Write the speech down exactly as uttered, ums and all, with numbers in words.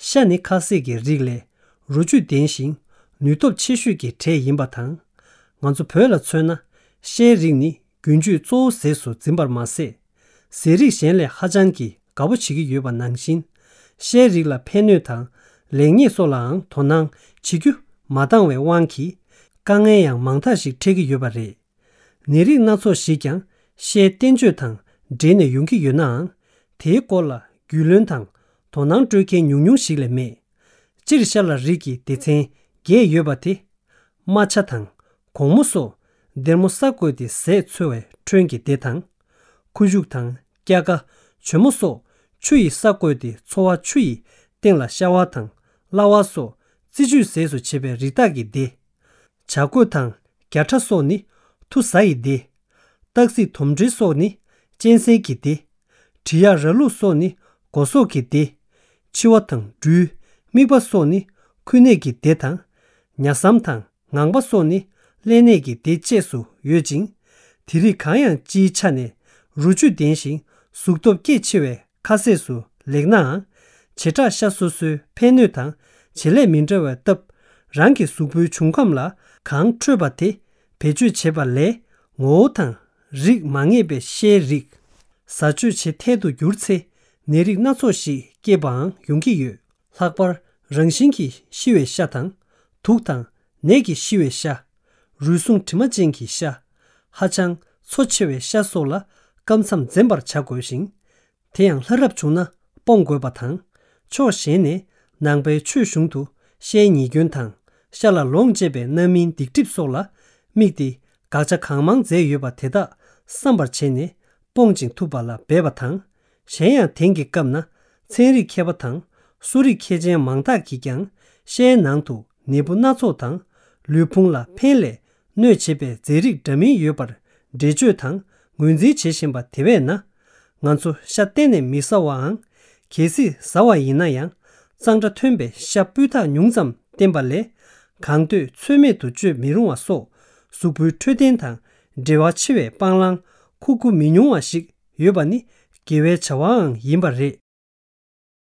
ཤ་ནི་ཁ་ཟས་ཀྱི་རིགས་ལས་རོ་བཅུད་ལྡན་ཞིང་ནུས་སྟོབས་ཆེ་ཤོས་ཀྱི་གྲས་ཡིན་པ་དང་། ང་ཚོ་བོད་ལ་མཚོན་ན་ཤའི་རིགས་ནི་རྒྱུན་སྤྱོད་གཙོ་བོ་ཟས་སུ་འཛིན་པར་མ་ཟད། ཟས་རིགས་གཞན་ལས་ཧ་ཅང་གི་དགའ་པོ་བྱེད་ཀྱི་ཡོད་པ་ནང་བཞིན། ཤའི་རིགས་ལ་ཕན་གནོད་དང་ལེགས་ཉེས་སོགས་ལའང་དོ་སྣང་བྱེད་རྒྱུ་མ་འདང་བའི་དབང་གིས་དཀའ་ངལ་ཡང་མང་དག་ཞིག་འཕྲད་ཀྱི་ཡོད་པ་རེད། ནད་རིགས་སྣ་ཚོགས་ཤིག་ཀྱང་ཤའི་བསྟན་བཅོས་དང་འབྲེལ་ནས་ཡོང་གི་ཡོད་ནའང་། དེའི་སྐོར་ལ་རྒྱུས་ལོན་དང་དོ་སྣང་སྤྲོད་མཁན་ཉུང་ཉུང་ཞིག་ལས་མེད། སྤྱིར་ཤ་ལ་རིགས་ཀྱི་སྡེ་ཚན་བརྒྱད་ཡོད་པ་དེ། རྨ་བྱ་དང་གོང་མོ་སོགས་སྡེར་མོ་ས་བརྐོས་ཏེ་ཟས་འཚོལ་བའི་ཁྲོན་གྱི་སྡེ་དང་། ཁུ་བྱུག་དང་སྐྱ་ཀ་བྱོ་མོ་སོགས་ཆུ་ཡི་ས་བརྐོས་ཏེ་འཚོ་བ་ཆུ་ཡི་སྟེང་ལ་ཤ་བ་དང་གླ་བ་སོགས་རྩི་བཅུད་ཟས་སུ་བྱེད་པའི་རི་དྭགས་ཀྱི་སྡེ། བྱ་རྒོད་དང་རྒྱ་ཁྲ་སོགས་ནི་ཐུ་ཟ་ཡི་སྡེ། སྟག་གཟིག་དོམ་དྲེད་སོགས་ནི་གཅན་གཟན་གྱི་སྡེ། གྲི་གཡག་ར་ལུག་སོགས་ནི་སྒོ་ཟོག་གི་སྡེ། འཕྱི་བ་དང་སྦྲུལ། རྨིག་པ་སོགས་ནི་འཁོན་ནད་ཀྱི་སྡེ་དང་། ཉ་ཟམ་དང་ངང་པ་སོགས་ནི་ཀླད་ནད་ཀྱི་སྡེ་བཅས་སུ་ཡོད་ཅིང་། དེ་རིགས་གང་ཡང་སྤྱིའི་ཆ་ནས་རོ་བཅུད་ལྡན་ཞིང་གཟུགས་སྟོབས་སྐྱེད་ཆེ་བའི་ཁ་ཟས་སུ་ལེགས་ནའང་། བྱེ་བྲག་ཤ་སོ་སོའི་ཕན་གནོད་དང་བྱེད་ལས་མི་འདྲ་བའི་སྟབས། རང་གི་གཟུགས་པོའི་འབྱུང་ཁམས་ལ་གང་འཕྲོད་པ་དེ་བེད་སྤྱོད་བྱེད་པ་ལས། ངོ་བོ་དང་རིགས་མ་ངེས་པའི་ཤའི་རིགས་བཟའ་སྤྱོད་བྱེད་ཐལ་དུ་གྱུར་ཚེ། ནད་རིགས་སྣ་ཚོགས་ཤིག་སྐྱེས་པའང་ཡོང་གི་ཡོད། ལྷག་པར་རང་བཞིན་གྱིས་ཤི་བའི་ཤ་དང་། དུག་དང་ནད་ཀྱིས་ཤི་བའི་ཤ། རུལ་སུངས་དྲི་མ་ཅན་གྱི་ཤ། ཧ་ཅང་མཚོ་ཆེ་བའི་ཤ་སོགས་ལ་སྐབས་མཚམས་འཛེམ་པར་བྱ་དགོས་ཤིང་། དེ་ཡང་ལྷ་རབ་བྱུང་ན་སྤོང་དགོས་པ་དང་། ཕྱོགས་གཞན་ནས་ནང་པའི་ཆོས་གཞུང་དུ་ཤའི་ཉེས་སྐྱོན་དང་། ཤ་ལ་ལོངས་སྤྱད་པའི་རྣམ་སྨིན་སྡིག་སྒྲིབ་སོགས་ལ་དམིགས་ཏེ་དགག་བྱ་གང་མང་མཛད་ཡོད་པ་དེ་དག་བསམ་པར་བྱས་ནས་སྤོང་ཅིང་ཐུབ་པ་ལ་འབད་པ་དང་། གཞན་ཡང་དེང་གི་སྐབས་ན་ཚན་རིག་མཁས་པ་དང་གསོ་རིག་མཁས་ཅན་མང་དག་གིས་ཀྱང་ཤའི་ནང་དུ་ནད་འབུ་སྣ་ཚོགས་དང་། ལུས་ཕུང་ལ་ཕན་ལས་གནོད་བྱེད་པའི་རྫས་རིགས་འདྲ་མིན་ཡོད་པར་འགྲེལ་བརྗོད་དང་ངོས་འཛིན་བྱེད་བཞིན་པ་དེ་བས་ན། ང་ཚོ་ཤ་གཏན་ནས་མི་ཟ་བའམ། གལ་སྲིད་ཟ་བ་ཡིན་ན་ཡང་གཙང་སྦྲ་ཐོན་པའི་ཤ་སྤུས་དག་ཉུང་ཙམ་བསྟེན་པ་ལས། གང་འདོད་ཚོད་མེད་དུ་སྤྱོད་མི་རུང་བ་སོགས་གཟུགས་པོའི་འཕྲོད་བསྟེན་དང་འབྲེལ་བ་ཆེ་བའི་སྤང་བླང་ཁུག་ཁུ་མི་ཉུང་བ་ཞིག་ཡོད་པ་ནི་དགེ་བའི་བྱ་བའང་ཡིན་པ་རེད།